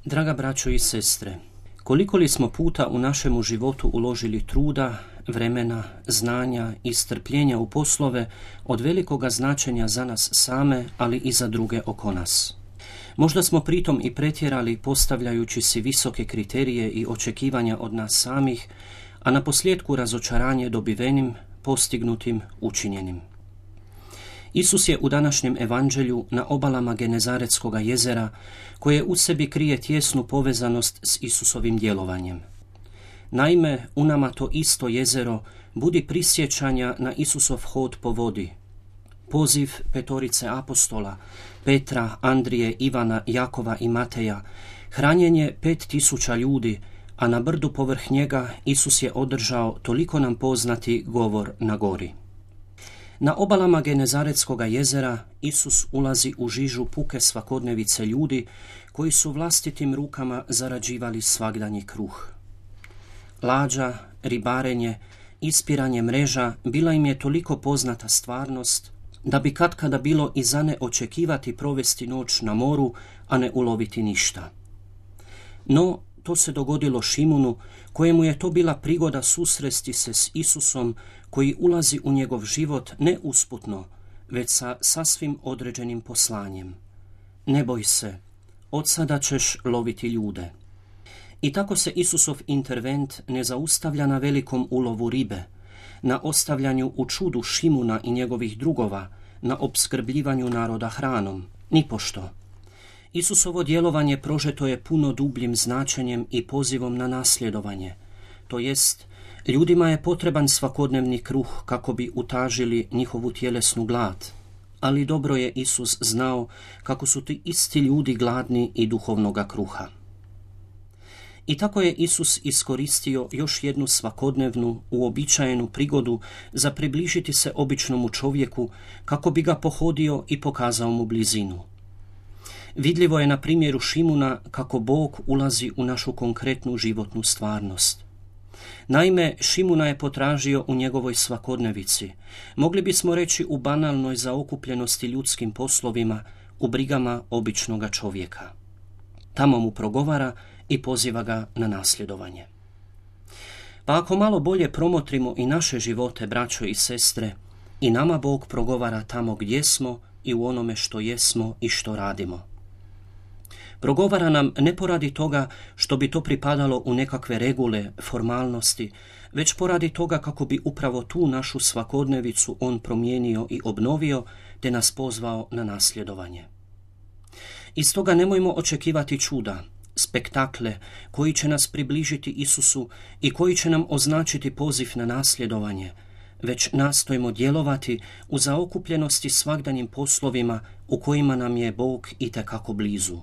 Draga braćo i sestre, koliko li smo puta u našemu životu uložili truda, vremena, znanja i strpljenja u poslove od velikoga značenja za nas same, ali i za druge oko nas. Možda smo pritom i pretjerali postavljajući si visoke kriterije i očekivanja od nas samih, a na posljedku razočaranje dobivenim, postignutim, učinjenim. Isus je u današnjem evanđelju na obalama Genezaretskoga jezera, koje u sebi krije tjesnu povezanost s Isusovim djelovanjem. Naime, u nama to isto jezero budi prisjećanja na Isusov hod po vodi. Poziv petorice apostola, Petra, Andrije, Ivana, Jakova i Mateja, hranjenje 5000 ljudi, a na brdu povrh njega Isus je održao toliko nam poznati govor na gori. Na obalama Genezaretskoga jezera Isus ulazi u žižu puke svakodnevice ljudi koji su vlastitim rukama zarađivali svagdanji kruh. Lađa, ribarenje, ispiranje mreža bila im je toliko poznata stvarnost da bi katkada bilo i za ne očekivati provesti noć na moru, a ne uloviti ništa. No, to se dogodilo Šimunu, kojemu je to bila prigoda susresti se s Isusom, koji ulazi u njegov život ne usputno, već sa sasvim određenim poslanjem. Ne boj se, od sada ćeš loviti ljude. I tako se Isusov intervent ne zaustavlja na velikom ulovu ribe, na ostavljanju u čudu Šimuna i njegovih drugova, na opskrbljivanju naroda hranom, nipošto. Isusovo djelovanje prožeto je puno dubljim značenjem i pozivom na nasljedovanje, to jest, ljudima je potreban svakodnevni kruh kako bi utažili njihovu tjelesnu glad, ali dobro je Isus znao kako su ti isti ljudi gladni i duhovnoga kruha. I tako je Isus iskoristio još jednu svakodnevnu, uobičajenu prigodu za približiti se običnomu čovjeku kako bi ga pohodio i pokazao mu blizinu. Vidljivo je na primjeru Šimuna kako Bog ulazi u našu konkretnu životnu stvarnost. Naime, Šimuna je potražio u njegovoj svakodnevici, mogli bismo reći u banalnoj zaokupljenosti ljudskim poslovima, u brigama običnoga čovjeka. Tamo mu progovara i poziva ga na nasljedovanje. Pa ako malo bolje promotrimo i naše živote, braćo i sestre, i nama Bog progovara tamo gdje smo i u onome što jesmo i što radimo. Progovara nam ne poradi toga što bi to pripadalo u nekakve regule, formalnosti, već poradi toga kako bi upravo tu našu svakodnevicu on promijenio i obnovio, te nas pozvao na nasljedovanje. I stoga nemojmo očekivati čuda, spektakle koji će nas približiti Isusu i koji će nam označiti poziv na nasljedovanje, već nastojimo djelovati u zaokupljenosti svagdanjim poslovima u kojima nam je Bog itekako blizu.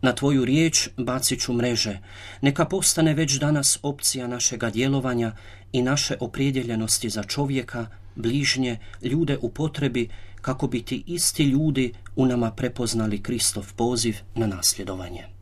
Na tvoju riječ bacit ću mreže, neka postane već danas opcija našega djelovanja i naše opredjeljenosti za čovjeka, bližnje, ljude u potrebi, kako bi ti isti ljudi u nama prepoznali Kristov poziv na nasljedovanje.